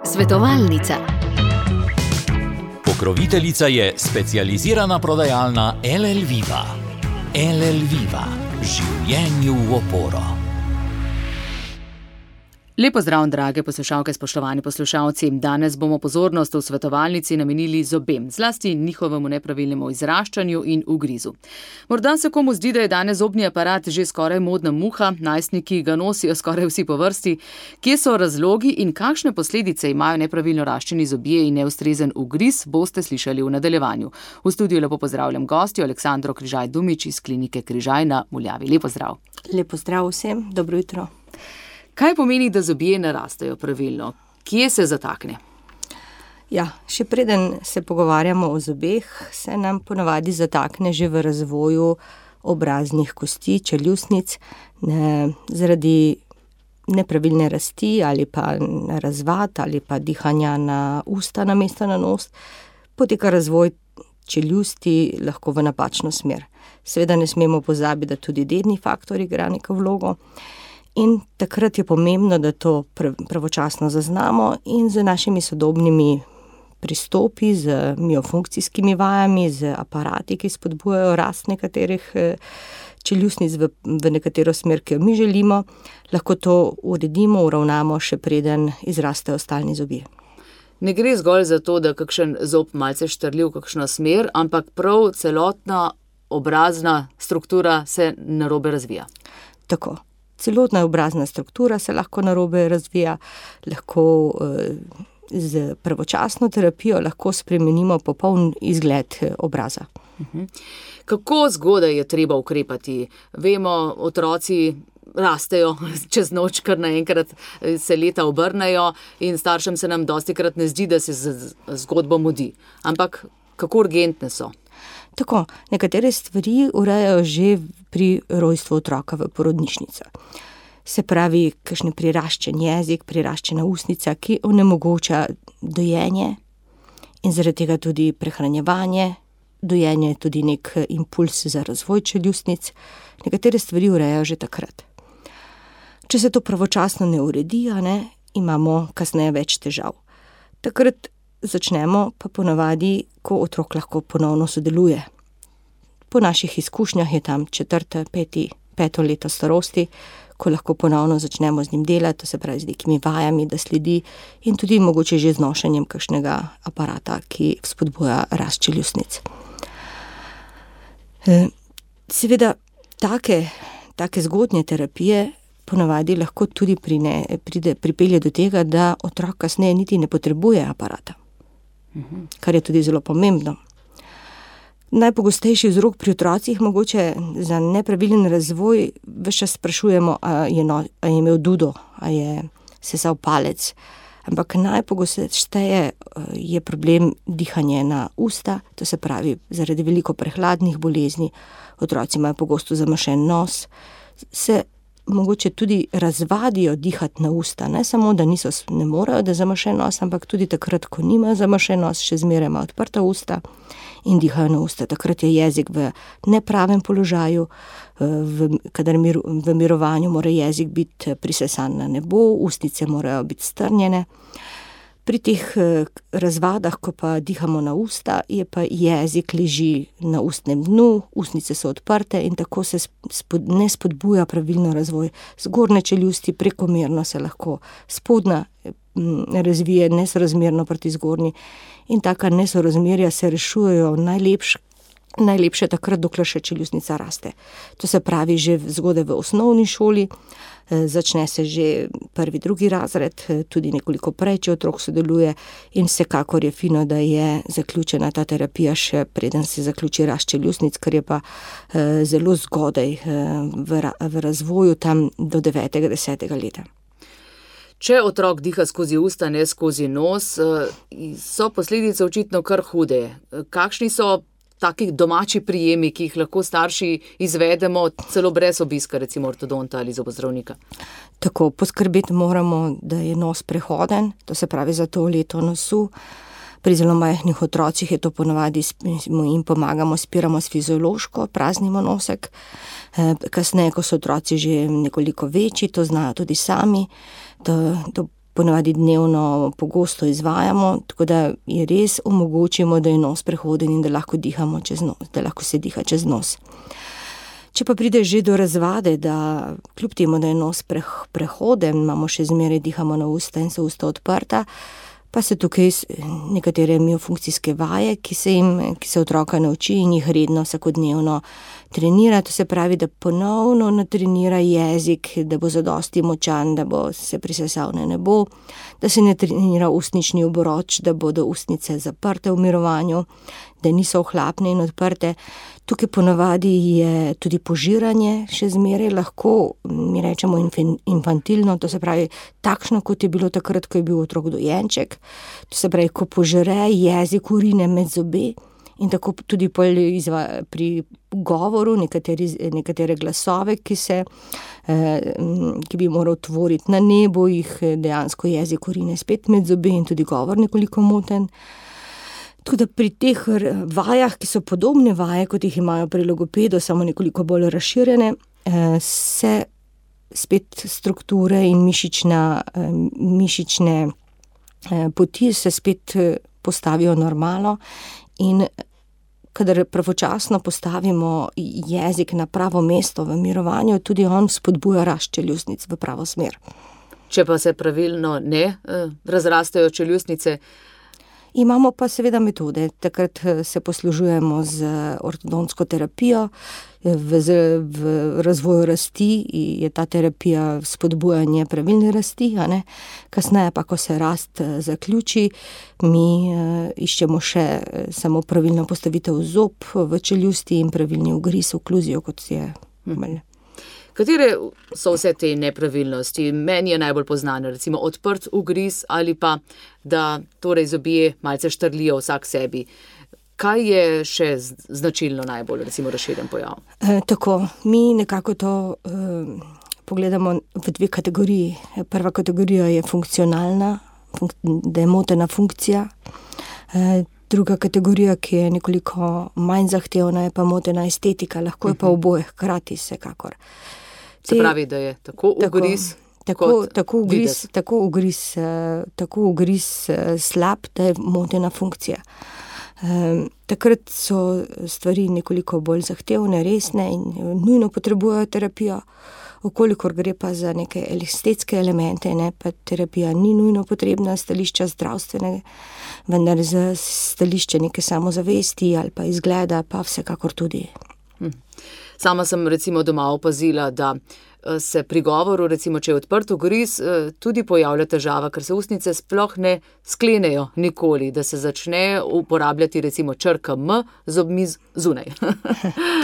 Svetovalnica. Pokroviteljica je specializirana prodajalna LL Viva. LL Viva. Življenju v oporo. Lepo zdrav, drage poslušalke, spoštovani poslušalci. Danes bomo pozornost v svetovalnici namenili zobem, zlasti njihovemu nepravilnemu izraščanju in ugrizu. Morda se komu zdi, da je danes zobni aparat že skoraj modna muha, najstniki ga nosijo skoraj vsi po vrsti. Kje so razlogi in kakšne posledice imajo nepravilno raščeni zobje in neustrezen ugriz, boste slišali v nadaljevanju. V studiu lepo pozdravljam gostjo Aleksandro Križaj-Dumič iz klinike Križaj na Muljavi. Lepo zdrav. Lepo zdrav vsem, dobro jutro. Kaj pomeni, da zobje ne rastejo pravilno? Kje se zatakne? Ja, še preden se pogovarjamo o zobeh, se nam ponavadi zatakne že v razvoju obraznih kosti, čeljustnic, zaradi nepravilne rasti ali pa razvad ali pa dihanja na usta namesto na nos, poteka razvoj čeljusti lahko v napačno smer. Seveda ne smemo pozabiti, da tudi dedni faktor igra neko vlogo. In takrat je pomembno, da to pravočasno zaznamo in z našimi sodobnimi pristopi, z miofunkcijskimi vajami, z aparati, ki spodbujajo rast nekaterih čeljustnic v nekatero smer, ki jo mi želimo, lahko to uredimo, uravnamo, še preden izrastejo stalni zobje. Ne gre zgolj za to, da kakšen zob malce štrli v kakšno smer, ampak prav celotna obrazna struktura se narobe razvija. Tako. Celotna obrazna struktura se lahko narobe razvija, lahko z pravočasno terapijo lahko spremenimo popoln izgled obraza. Kako zgodaj je treba ukrepati? Vemo, otroci rastejo čez noč, kar naenkrat se leta obrnejo in staršem se nam dostikrat ne zdi, da se zgodbo mudi. Ampak kako urgentne so? Tako, nekatere stvari urejajo že pri rojstvu otroka v porodnišnici. Se pravi, kakšen priraščen jezik, priraščena ustnica, ki onemogoča dojenje in zaradi tega tudi prehranjevanje. Dojenje je tudi nek impuls za razvoj čeljustnic. Nekatere stvari urejajo že takrat. Če se to pravočasno ne uredi, imamo kasneje več težav. Takrat začnemo pa ponavadi, ko otrok lahko ponovno sodeluje. Po naših izkušnjah je tam 4., 5. leto starosti, ko lahko ponovno začnemo z njim delati, to se pravi z nekimi vajami, da sledi in tudi mogoče že z nošenjem kakšnega aparata, ki spodbuja rast čeljustnic. Seveda, take zgodnje terapije ponavadi lahko tudi pripelje do tega, da otrok kasneje niti ne potrebuje aparata. Kar je tudi zelo pomembno. Najpogostejši vzrok pri otrocih mogoče za nepravilen razvoj ves čas sprašujemo, a je imel dudo, a je sesal palec. Ampak najpogosteje je problem dihanje na usta, to se pravi zaradi veliko prehladnih bolezni, otroci imajo pogosto zamašen nos, se mogoče tudi razvadijo dihati na usta, ne samo, da ne morejo, da zamašen nos, ampak tudi takrat, ko nimajo zamašen nos, še zmeraj imajo odprta usta in dihajo na usta. Takrat je jezik v nepravem položaju, kadar v mirovanju mora jezik biti prisesan na nebo, ustnice morajo biti strnjene. Pri teh razvadah, ko pa dihamo na usta, je pa jezik leži na ustnem dnu, ustnice so odprte in tako se ne spodbuja pravilno razvoj zgornje čeljusti, prekomerno se lahko spodnja razvije nesorazmerno proti zgornji in taka nesorazmerja se rešujejo najlepše takrat, dokler še čeljustnica raste. To se pravi že zgodaj v osnovni šoli, začne se že 1., 2. razred, tudi nekoliko prej, če otrok sodeluje in vsekakor je fino, da je zaključena ta terapija še preden se zaključi rast čeljustnic, kar je pa zelo zgodaj v razvoju tam do 9., 10. leta. Če otrok diha skozi usta, ne skozi nos, so posledice očitno kar hude. Kakšni so taki domači prijemi, ki jih lahko starši izvedemo celo brez obiska, recimo ortodonta ali zobozdravnika? Tako, poskrbeti moramo, da je nos prehoden, to se pravi za to leto nosu. Pri zelo majhnih otrocih je to ponavadi, jim pomagamo, spiramo s fiziološko, praznimo nosek. Kasneje, ko so otroci že nekoliko večji, to znajo tudi sami, to ponavadi dnevno pogosto izvajamo, tako da je res omogočimo, da je nos prehoden in da lahko dihamo čez nos, da lahko se diha čez nos. Če pa pride že do razvade, da kljub temu, da je nos prehoden, imamo še zmeraj dihamo na usta in so usta odprta, pa se tukaj nekatere miofunkcijske vaje, ki se otroka nauči in jih redno vsakodnevno trenira. To se pravi, da ponovno natrenira jezik, da bo zadosti močan, da bo se prisesal na nebo, da se ne trenira ustnični obroč, da bodo ustnice zaprte v mirovanju, da niso ohlapne in odprte. Tukaj ponavadi je tudi požiranje še zmeraj lahko, mi rečemo infantilno, to se pravi takšno, kot je bilo takrat, ko je bil otrok dojenček. To se pravi, ko požere jezik urine med zobe in tako tudi pri govoru nekatere glasove, ki bi moral tvoriti na nebo, jih dejansko jezik urine spet med zobe in tudi govor nekoliko moten. Tako da pri teh vajah, ki so podobne vaje, kot jih imajo pri logopedu, samo nekoliko bolj razširjene, se spet strukture in mišične poti se spet postavijo normalno in kadar pravočasno postavimo jezik na pravo mesto v mirovanju, tudi on spodbuja rast čeljustnic v pravo smer. Če pa se pravilno ne razrastejo čeljustnice, imamo pa seveda metode. Takrat se poslužujemo z ortodontsko terapijo. V razvoju rasti je ta terapija spodbujanje pravilne rasti, a ne? Kasneje pa, ko se rast zaključi, mi iščemo še samo pravilno postavitev zob v čeljusti in pravilni ugriz, okluzijo, kot je. Katere so vse te nepravilnosti? Meni je najbolj poznano, recimo odprt ugriz ali pa, da torej zobje malce štrlijo vsak sebi. Kaj je še značilno najbolj, recimo, razširjen pojav? Tako, mi nekako to pogledamo v dve kategoriji. Prva kategorija je funkcionalna, da je motena funkcija. Druga kategorija, ki je nekoliko manj zahtevna, je pa motena estetika, lahko je pa oboje hkrati vsekakor. Se pravi, da je tako ugriz tako ugriz slab, da je motena funkcija. Takrat so stvari nekoliko bolj zahtevne, resne in nujno potrebujejo terapijo. Okolikor gre pa za neke estetske elemente, ne, pa terapija ni nujno potrebna stališča zdravstvenega, vendar za stališče neke samozavesti ali pa izgleda pa vsekakor tudi. Sama sem recimo doma opazila, da se pri govoru, recimo če je odprt ugriz, tudi pojavlja težava, ker se ustnice sploh ne sklenejo nikoli, da se začne uporabljati recimo črka M z zobmi zunaj.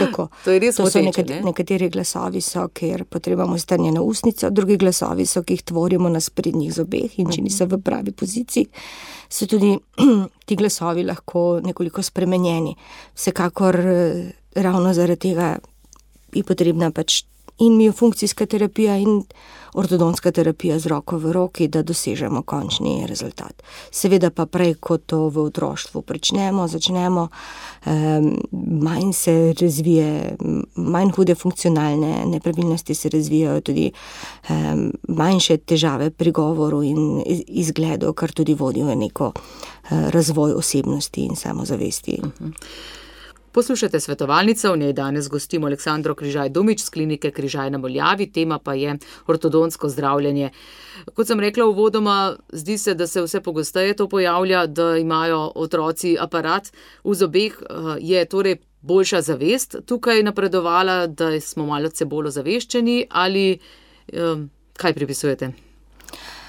Tako. To je res moteče, ne? Nekateri glasovi so, ker potrebujemo strnjeno ustnico, drugi glasovi so, ki jih tvorimo na sprednjih zobeh in če niso v pravi poziciji, so tudi ti glasovi lahko nekoliko spremenjeni. Vsekakor ravno zaradi tega je potrebna pač in miofunkcijska terapija in ortodontska terapija z roko v roki, da dosežemo končni rezultat. Seveda pa prej, ko to v otroštvu začnemo, manj se razvije, manj hude funkcionalne nepravilnosti se razvijajo, tudi manjše težave pri govoru in izgledu, kar tudi vodi v neko razvoj osebnosti in samozavesti. Poslušajte Svetovalnico, v njej danes gostimo Aleksandro Križaj-Dumič z klinike Križaj na Moljavi, tema pa je ortodontsko zdravljenje. Kot sem rekla uvodoma, zdi se, da se vse pogosteje to pojavlja, da imajo otroci aparat v zobeh, je torej boljša zavest tukaj napredovala, da smo malce bolj ozaveščeni ali kaj pripisujete?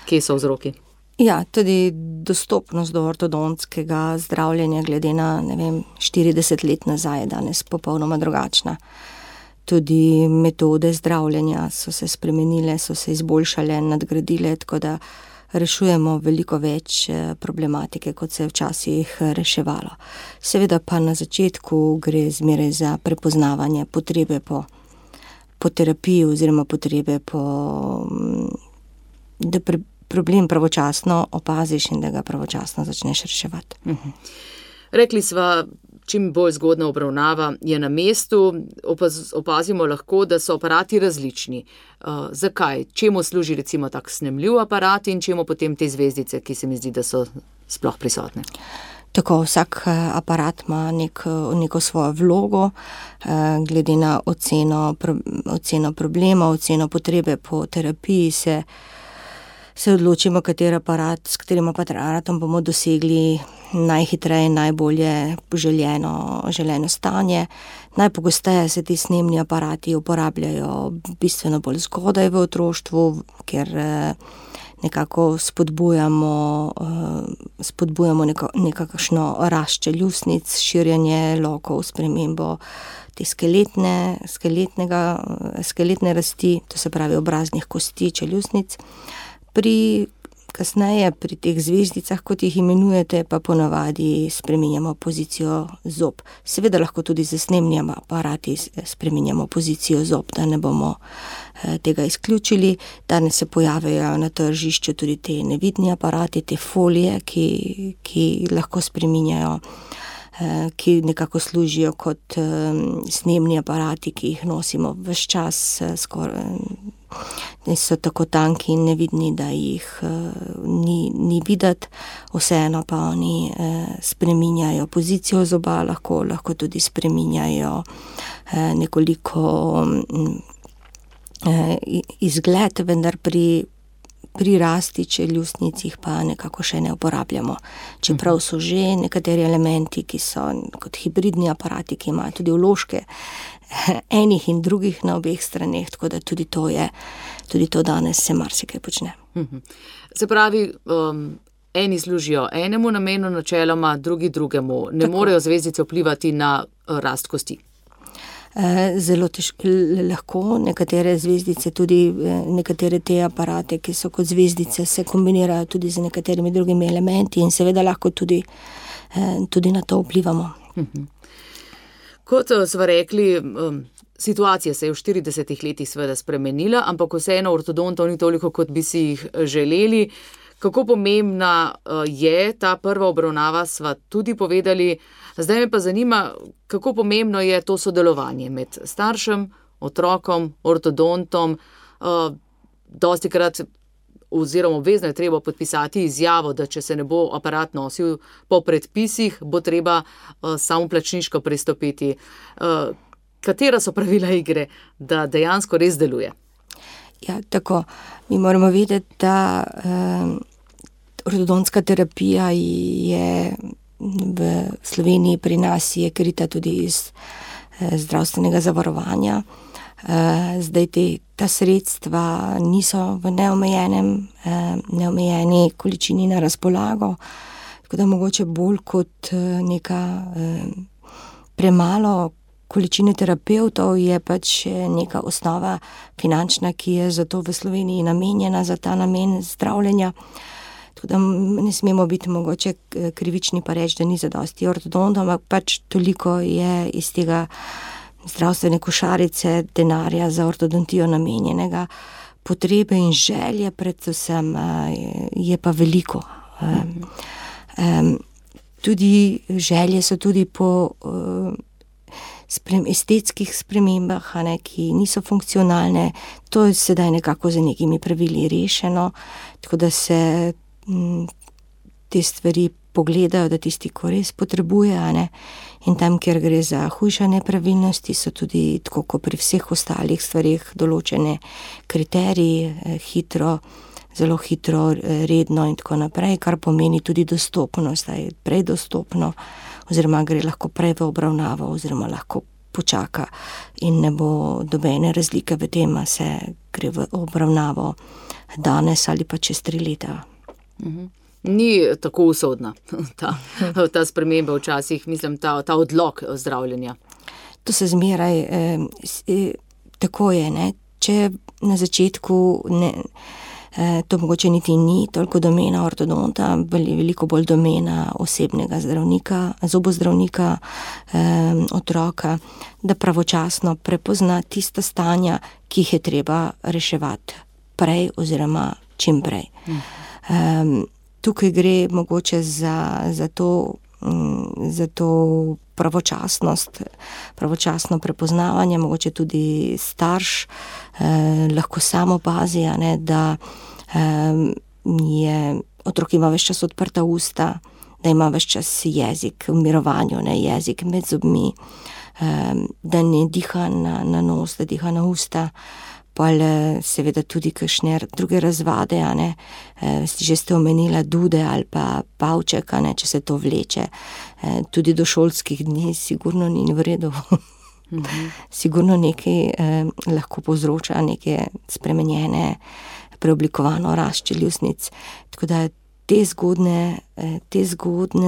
Kje so vzroki? Ja, tudi dostopnost do ortodontskega zdravljenja glede na, 40 let nazaj je danes popolnoma drugačna. Tudi metode zdravljenja so se spremenile, so se izboljšale, nadgradile, tako da rešujemo veliko več problematike, kot se je včasih reševalo. Seveda pa na začetku gre zmeraj za prepoznavanje potrebe po terapiji oziroma potrebe da problem pravočasno opaziš in da ga pravočasno začneš reševati. Rekli sva, čim bolj zgodna obravnava je na mestu. Opazimo lahko, da so aparati različni. Zakaj? Čemu služi recimo tak snemljiv aparat in čemu potem te zvezdice, ki se mi zdi, da so sploh prisotne? Tako, vsak aparat ima neko svojo vlogo, glede na oceno problema, oceno potrebe po terapiji se odločimo, s katerim aparatom bomo dosegli najhitreje in najbolje želeno stanje. Najpogosteje se ti snemni aparati uporabljajo bistveno bolj zgodaj v otroštvu, ker nekako spodbujamo nekakšno rast čeljustnic, širjenje lokov, spremembo te skeletne rasti, to se pravi obraznih kosti čeljustnic. Kasneje pri teh zvezdicah, kot jih imenujete, pa ponavadi spreminjamo pozicijo zob. Seveda lahko tudi z snemnimi aparati spreminjamo pozicijo zob, da ne bomo tega izključili. Danes se pojavljajo na tržišču tudi te nevidni aparati, te folije, ki lahko spreminjajo, ki nekako služijo kot snemni aparati, ki jih nosimo ves čas, so tako tanki in nevidni, da jih ni videti, vseeno pa oni spreminjajo pozicijo zoba, lahko tudi spreminjajo nekoliko izgled, vendar pri rasti čeljustnic jih pa nekako še ne uporabljamo. Čeprav so že nekateri elementi, ki so kot hibridni aparati, ki imajo tudi vložke enih in drugih na obeh straneh, tako da tudi to danes se marsikaj počne. Se pravi, eni služijo enemu namenu načeloma, drugi drugemu. Ne morejo zvezdice vplivati na rast kosti? Zelo lahko. Nekatere zvezdice, tudi nekatere te aparate, ki so kot zvezdice, se kombinirajo tudi z nekaterimi drugimi elementi in seveda lahko tudi na to vplivamo. Kot smo rekli, situacija se je v 40 letih seveda spremenila, ampak vseeno ortodontov ni toliko, kot bi si jih želeli. Kako pomembna je ta prva obravnava, sva tudi povedali. Zdaj me pa zanima, kako pomembno je to sodelovanje med staršem, otrokom, ortodontom. Dostikrat oziroma obvezno je treba podpisati izjavo, da če se ne bo aparat nosil po predpisih, bo treba samoplačniško pristopiti. Katera so pravila igre, da dejansko res deluje? Ja, tako. Mi moramo vedeti, da ortodontska terapija je v Sloveniji pri nas je krita tudi iz zdravstvenega zavarovanja. Zdaj ta sredstva niso v neomejeni količini na razpolago, tako da mogoče bolj kot neka premalo količine terapevtov je pač neka osnova finančna, ki je zato v Sloveniji namenjena za ta namen zdravljenja. Tako da ne smemo biti mogoče krivični pa reči, da ni zadosti ortodontov, ampak pač toliko je iz tega zdravstvene košarice denarja za ortodontijo namenjenega. Potrebe in želje predvsem je pa veliko. Tudi želje so tudi po estetskih spremembah, ki niso funkcionalne. To je sedaj nekako za nekimi pravili rešeno, tako da se te stvari pogledajo, da tisti, ko res potrebuje, in tam, kjer gre za hujše nepravilnosti, so tudi, tako kot pri vseh ostalih stvarih, določene kriteriji, zelo hitro, redno in tako naprej, kar pomeni tudi dostopnost, da je prej dostopno, oziroma gre lahko prej v obravnavo, oziroma lahko počaka in ne bo dobene razlike v tem, a se gre v obravnavo danes ali pa čez 3 leta. Ni tako usodna ta sprememba včasih, mislim, ta odlog zdravljenja. To se zmeraj, tako je, če na začetku to mogoče niti ni toliko domena ortodonta, veliko bolj domena osebnega zdravnika, zobozdravnika, otroka, da pravočasno prepozna tista stanja, ki jih je treba reševati prej oziroma čim prej. Tukaj gre mogoče za to zato pravočasno prepoznavanje, mogoče tudi starš lahko samo opazi, da otrok ima ves čas odprta usta, da ima ves čas jezik v mirovanju, jezik med zobmi, da ne diha na nos, da diha na usta, pa seveda tudi kakšne druge razvade, že ste omenila dude ali pa pavček, če se to vleče, tudi do šolskih dni sigurno ni v redu. Sigurno nekaj lahko povzroča neke spremenjene, preoblikovano rast čeljustnic, tako da te zgodne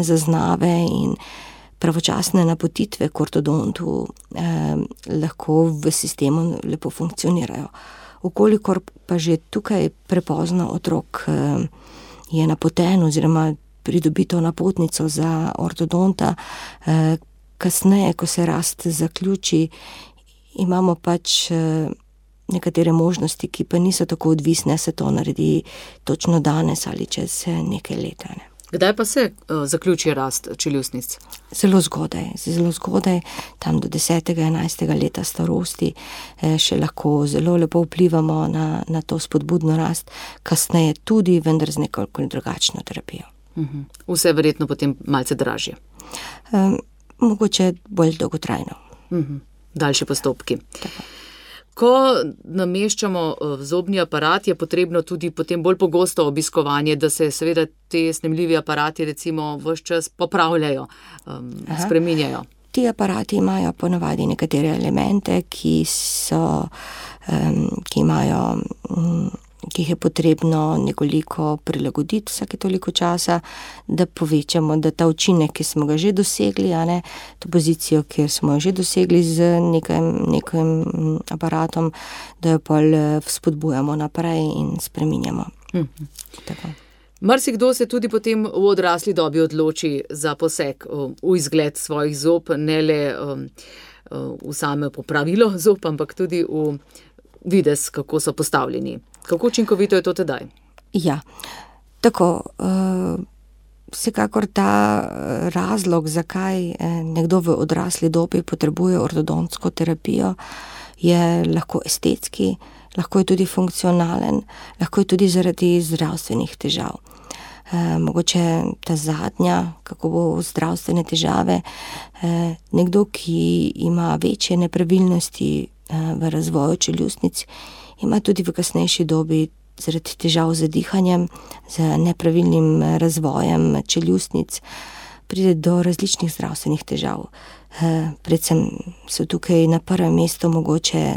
zaznave in pravočasne napotitve k ortodontu lahko v sistemu lepo funkcionirajo. Ukolikor pa že tukaj prepozno otrok je napoten oziroma pridobi to napotnico za ortodonta, kasneje, ko se rast zaključi, imamo pač nekatere možnosti, ki pa niso tako odvisne, se to naredi točno danes ali čez nekaj let. Kdaj pa se zaključi rast čeljustnic? Zelo zgodaj, tam do 10. 11. leta starosti še lahko zelo lepo vplivamo na to spodbudno rast, kasneje tudi, vendar z nekoliko drugačno terapijo. Vse verjetno potem malce dražje. Mogoče bolj dolgotrajno. Daljši postopki. Tako. Ko nameščamo zobni aparat, je potrebno tudi potem bolj pogosto obiskovanje, da se seveda te snemljivi aparati recimo ves čas popravljajo, spreminjajo. Ti aparati imajo ponavadi nekatere elemente, ki jih je potrebno nekoliko prilagoditi vsake toliko časa, da povečamo, da ta učinek, ki smo ga že dosegli, to pozicijo, kjer smo jo že dosegli z nekim aparatom, da jo pol spodbujamo naprej in spreminjamo. Tako. Marsikdo se tudi potem v odrasli dobi odloči za poseg v izgled svojih zob, ne le v same popravilo zob, ampak tudi v videz, kako so postavljeni. Kako učinkovito je to tedaj? Ja, tako, vsekakor ta razlog, zakaj nekdo v odrasli dobi potrebuje ortodontsko terapijo, je lahko estetski, lahko je tudi funkcionalen, lahko je tudi zaradi zdravstvenih težav. Mogoče ta zadnja, kako bo zdravstvene težave, nekdo, ki ima večje nepravilnosti v razvoju čeljustnic, ima tudi v kasnejši dobi zaradi težav z dihanjem, z nepravilnim razvojem čeljustnic, pride do različnih zdravstvenih težav. Predvsem so tukaj na prvem mestu mogoče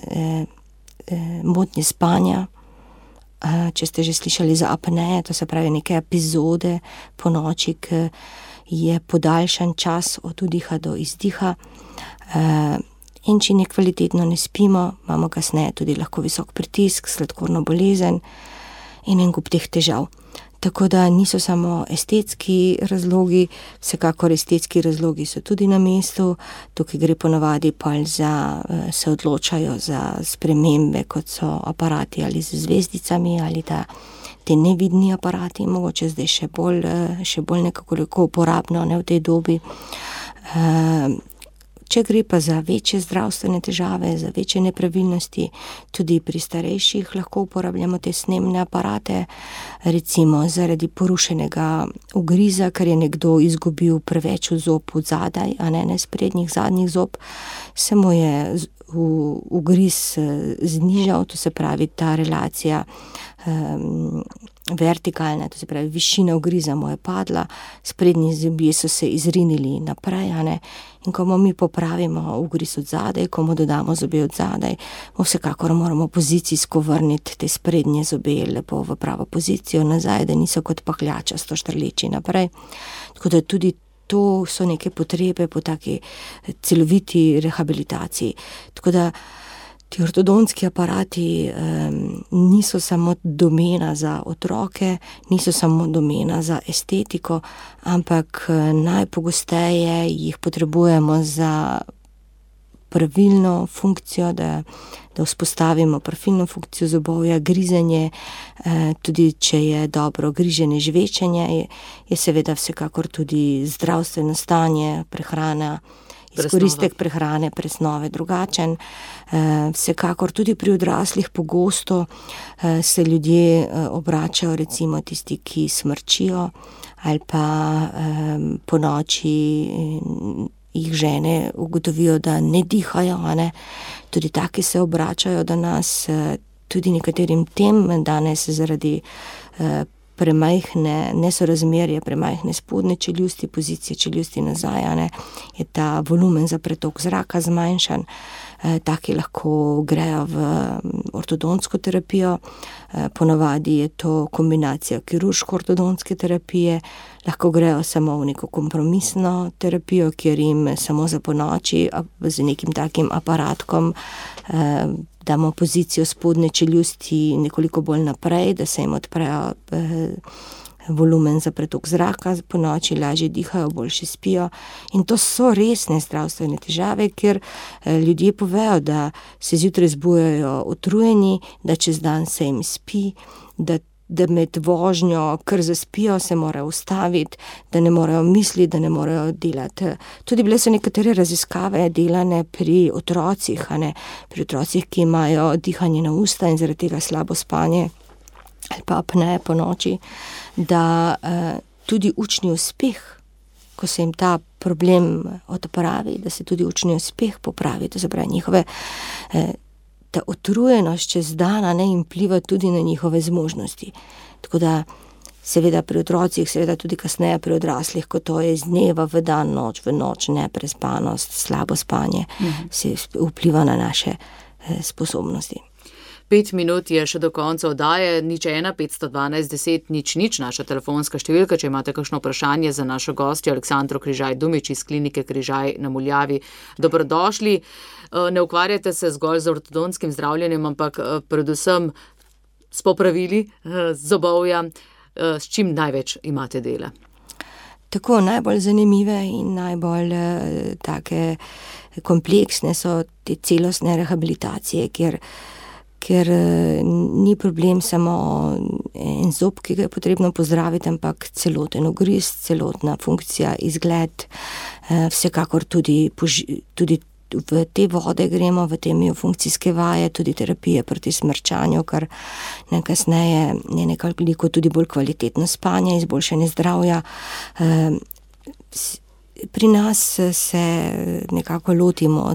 motnje spanja, če ste že slišali za apneje, to se pravi neke epizode po noči, ki je podaljšan čas od vdiha do izdiha. In če nekvalitetno ne spimo, imamo kasneje tudi lahko visok pritisk, sladkorno bolezen in en kup teh težav. Tako da niso samo estetski razlogi, vsekakor estetski razlogi so tudi na mestu, tukaj gre ponavadi se odločajo za spremembe, kot so aparati ali z zvezdicami ali te nevidni aparati, mogoče zdaj še bolj nekako uporabno v tej dobi. Če gre pa za večje zdravstvene težave, za večje nepravilnosti, tudi pri starejših lahko uporabljamo te snemne aparate, recimo zaradi porušenega ugriza, ker je nekdo izgubil preveč zob od zadaj, a ne sprednjih zadnjih zob, se mu je ugriz znižal, to se pravi ta relacija vertikalna, to se pravi višina ugriza mu je padla, sprednji zobje so se izrinili naprej, in ko mi popravimo ugriz od zadaj, ko mu dodamo zobe od zadaj, vsekakor moramo pozicijsko vrniti te sprednje zobe lepo v pravo pozicijo nazaj, da niso kot pahljačasto štrleči naprej. Tako da tudi to so neke potrebe po taki celoviti rehabilitaciji. Tako da ti ortodontski aparati niso samo domena za otroke, niso samo domena za estetiko, ampak najpogosteje jih potrebujemo za pravilno funkcijo, da vzpostavimo pravilno funkcijo zobovja, grizenje, tudi če je dobro griženje, žvečenje, je seveda vsekakor tudi zdravstveno stanje, prehrana, izkoristek prehrane, presnove drugačen. Vsekakor tudi pri odraslih pogosto se ljudje obračajo, recimo tisti, ki smrčijo ali pa po noči jih žene ugotovijo, da ne dihajo, ne? Tudi taki se obračajo do nas, tudi nekaterim tem danes zaradi premajhne nesorazmerje, premajhne spodnje čeljusti, pozicije čeljusti nazaj, ne, je ta volumen za pretok zraka zmanjšan. Taki lahko grejo v ortodontsko terapijo, ponavadi je to kombinacija kirurško-ortodontske terapije, lahko grejo samo v neko kompromisno terapijo, kjer jim samo za ponoči z nekim takim aparatkom damo pozicijo spodnje čeljusti nekoliko bolj naprej, da se jim odprejo volumen za pretok zraka, po noči lažje dihajo, boljše spijo. In to so resne zdravstvene težave, ker ljudje povejo, da se zjutraj zbujajo utrujeni, da čez dan se jim spi, da med vožnjo kar zaspijo, se morajo ustaviti, da ne morejo misliti, da ne morejo delati. Tudi bile so nekatere raziskave delane pri otrocih, pri otrocih, ki imajo dihanje na usta in zaradi tega slabo spanje ali pa apneje po noči, da tudi učni uspeh, ko se jim ta problem odpravi, da se tudi učni uspeh popravi, to se pravi njihove ta utrujenost čez dan jim vpliva tudi na njihove zmožnosti. Tako da seveda pri otrocih, seveda tudi kasneje pri odraslih, ko to je iz dneva v dan, noč v noč, neprespanost, slabo spanje, se vpliva na naše sposobnosti. 5 minut je še do konca oddaje, 01 512 10 00, naša telefonska številka, če imate kakšno vprašanje za našo gostjo Aleksandro Križaj-Dumič iz klinike Križaj na Muljavi. Dobrodošli. Ne ukvarjate se zgolj z ortodonskim zdravljenjem, ampak predvsem s popravili zobovja. S čim največ imate dela? Tako, najbolj zanimive in najbolj take kompleksne so te celostne rehabilitacije, ker ni problem samo en zob, ki ga je potrebno pozdraviti, ampak celoten ugriz, celotna funkcija, izgled, vsekakor tudi v te vode gremo, v te miofunkcijske vaje, tudi terapije proti smrčanju, kar kasneje je nekako tudi bolj kvalitetno spanje, izboljšanje zdravja. Pri nas se nekako lotimo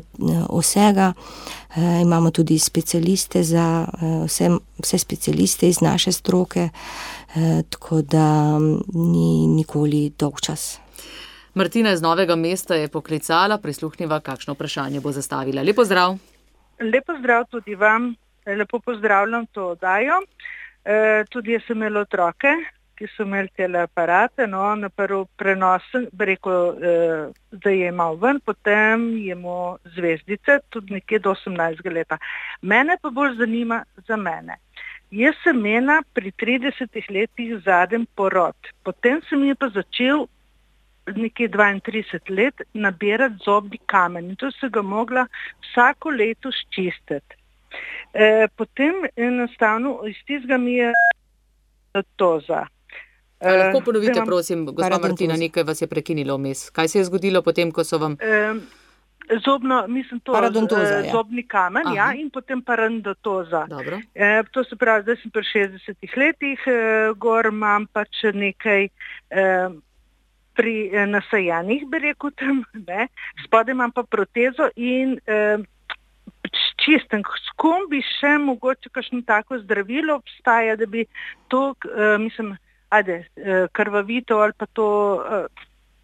vsega, imamo tudi specialiste za vse specialiste iz naše stroke, tako da ni nikoli dolg čas. Martina iz Novega Mesta je poklicala, prisluhniva, kakšno vprašanje bo zastavila. Lep pozdrav. Lep pozdrav tudi vam, lepo pozdravljam to oddajo. Tudi jaz sem imela otroke, ki so imeli tele aparate, na prvi prenos, da je imel ven, potem je imel zvezdice, tudi nekje do 18 leta. Mene pa bolj zanima za mene. Jaz sem imela pri 30 letih zadnji porod, potem sem je pa začel nekje 32 let nabirati zobni kamen in to se ga mogla vsako leto ščistiti. Potem enostavno iz tistega mi je toza. Lahko ponovite, prosim, gospa Martina, nekaj vas je prekinilo vmes. Kaj se je zgodilo potem, ko so vam... Zobni kamen, ja, in potem paradontoza. To se pravi, zdaj sem pri 60 letih, gor imam pač nekaj pri nasajanih, bi rekel tam, ne, spodaj imam pa protezo in čistem. S kom bi še mogoče kakšno tako zdravilo obstaja, da bi to, krvavito ali pa to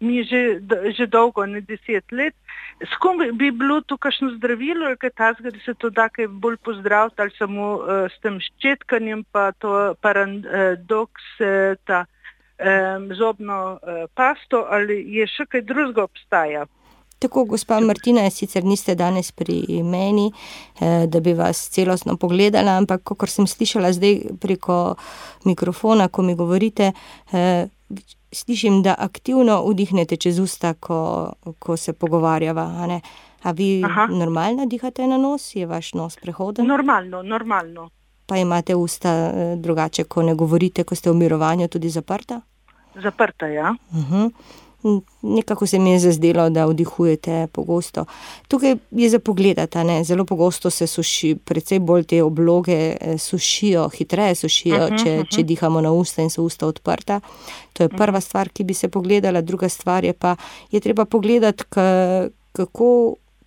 mi že dolgo, ne 10 let. S kom bi bilo to kakšno zdravilo ali kaj takega, da se to da kaj bolj pozdraviti ali samo s tem ščetkanjem pa to paradoks, ta zobno pasto ali je še kaj drugega obstaja? Tako, gospa Martina, sicer niste danes pri meni, da bi vas celostno pogledala, ampak kakor sem slišala zdaj preko mikrofona, ko mi govorite, slišim, da aktivno vdihnete čez usta, ko se pogovarjava, a ne? A vi normalno dihate na nos? Je vaš nos prehoden? Normalno. Pa imate usta drugače, ko ne govorite, ko ste v mirovanju, tudi zaprta? Zaprta, ja. Nekako se mi je zazdelo, da vdihujete pogosto. Tukaj je za pogledati, ne? Zelo pogosto se suši, precej bolj te obloge sušijo, hitreje sušijo, če dihamo na usta in so usta odprta. To je prva stvar, ki bi se pogledala. Druga stvar je pa, je treba pogledati,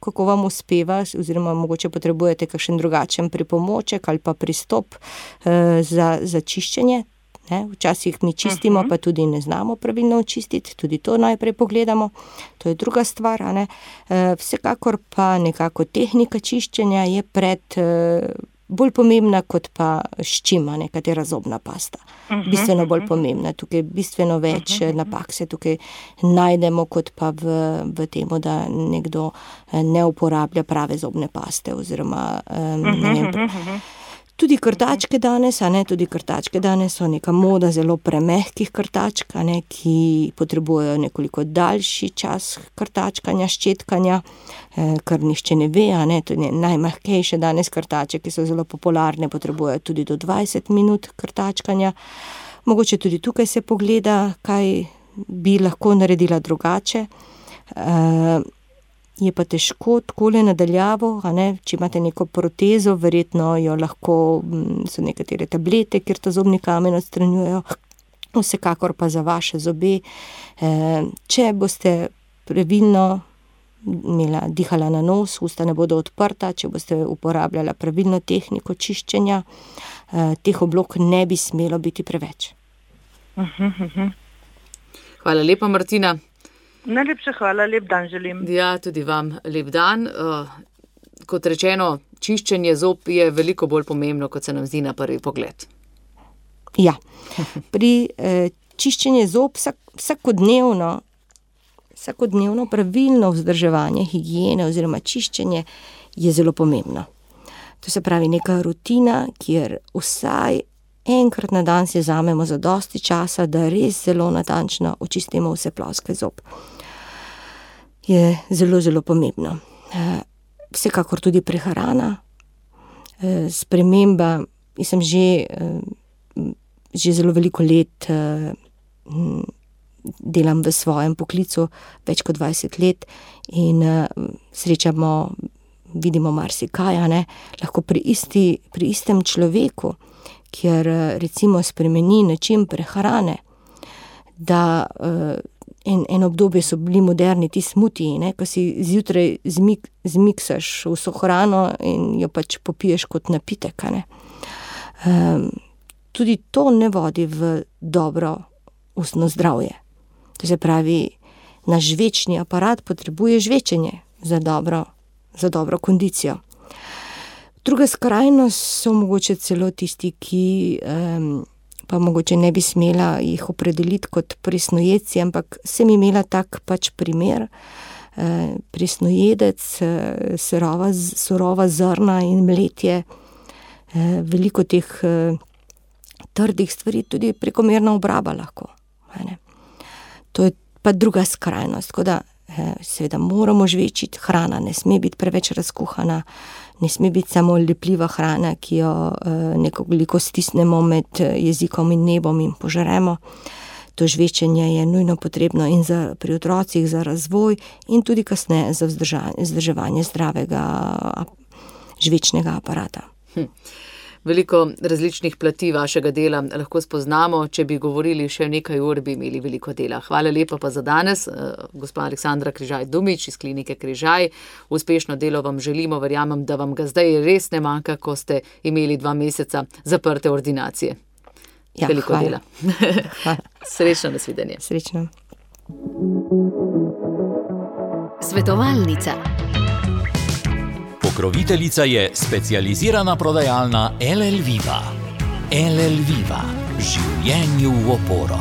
kako vam uspeva, oziroma mogoče potrebujete kakšen drugačen pripomoček ali pa pristop za čiščenje. Včasih mi čistimo, pa tudi ne znamo pravilno očistiti, tudi to najprej pogledamo, to je druga stvar. A ne? Vsekakor pa nekako tehnika čiščenja je bolj pomembna kot pa ščima, katera zobna pasta. Bistveno bolj pomembna, tukaj bistveno več napak se tukaj najdemo, kot pa v temu, da nekdo ne uporablja prave zobne paste, oziroma ne vem. Tudi krtačke danes, so neka moda zelo premehkih krtačk, ki potrebujejo nekoliko daljši čas krtačkanja, ščetkanja, kar nihče ne ve, tudi najmehkejše danes krtače, ki so zelo popularne, potrebujejo tudi do 20 minut krtačkanja. Mogoče tudi tukaj se pogleda, kaj bi lahko naredila drugače. Je pa težko takole nadaljavo, če imate neko protezo, verjetno jo lahko, so nekatere tablete, kjer ta zobni kamen odstranjujejo, vsekakor pa za vaše zobe. Če boste pravilno dihala na nos, usta ne bodo odprta, če boste uporabljala pravilno tehniko čiščenja, teh oblog ne bi smelo biti preveč. Hvala lepa, Martina. Najlepša hvala, lep dan želim. Ja, tudi vam lep dan. Kot rečeno, čiščenje zob je veliko bolj pomembno, kot se nam zdi na prvi pogled. Ja, pri čiščenju zob vsakodnevno pravilno vzdrževanje, higiene oziroma čiščenje je zelo pomembno. To se pravi neka rutina, kjer vsaj enkrat na dan si vzamemo zadosti časa, da res zelo natančno očistimo vse ploskve zob. Je zelo, zelo pomembno. Vsekakor tudi prehrana, sprememba. Jaz sem že zelo veliko let delam v svojem poklicu, več kot 20 let, in vidimo marsikaj, lahko pri istem človeku, kjer recimo spremeni način prehrane, da en obdobje so bili moderni ti smutiji, ko si zjutraj zmiksaš vso hrano in jo pač popiješ kot napitek. Tudi to ne vodi v dobro ustno zdravje. To se pravi, naš žvečni aparat potrebuje žvečenje za dobro kondicijo. Druga skrajnost so mogoče celo tisti, ki pa mogoče ne bi smela jih opredeliti kot presnojedci, ampak sem imela tak pač primer. Presnojedec, surova zrna in mletje, veliko teh trdih stvari, tudi prekomerna obraba lahko. To je pa druga skrajnost, tako da seveda moramo žvečiti, hrana ne sme biti preveč razkuhana, ne sme biti samo lepljiva hrana, ki jo nekoliko stisnemo med jezikom in nebom in požremo. To žvečenje je nujno potrebno in pri otrocih za razvoj in tudi kasneje za vzdrževanje zdravega žvečnega aparata. Veliko različnih plati vašega dela lahko spoznamo. Če bi govorili še nekaj ur, bi imeli veliko dela. Hvala lepa pa za danes, gospa Aleksandra Križaj-Dumič iz klinike Križaj. Uspešno delo vam želimo, verjamem, da vam ga zdaj res ne manjka, ko ste imeli 2 meseca zaprte ordinacije. Ja, veliko dela. Srečno, nasvidenje. Srečno. Svetovalnica. Pokroviteljica je specializirana prodajalna LL Viva. LL Viva. Življenju v oporo.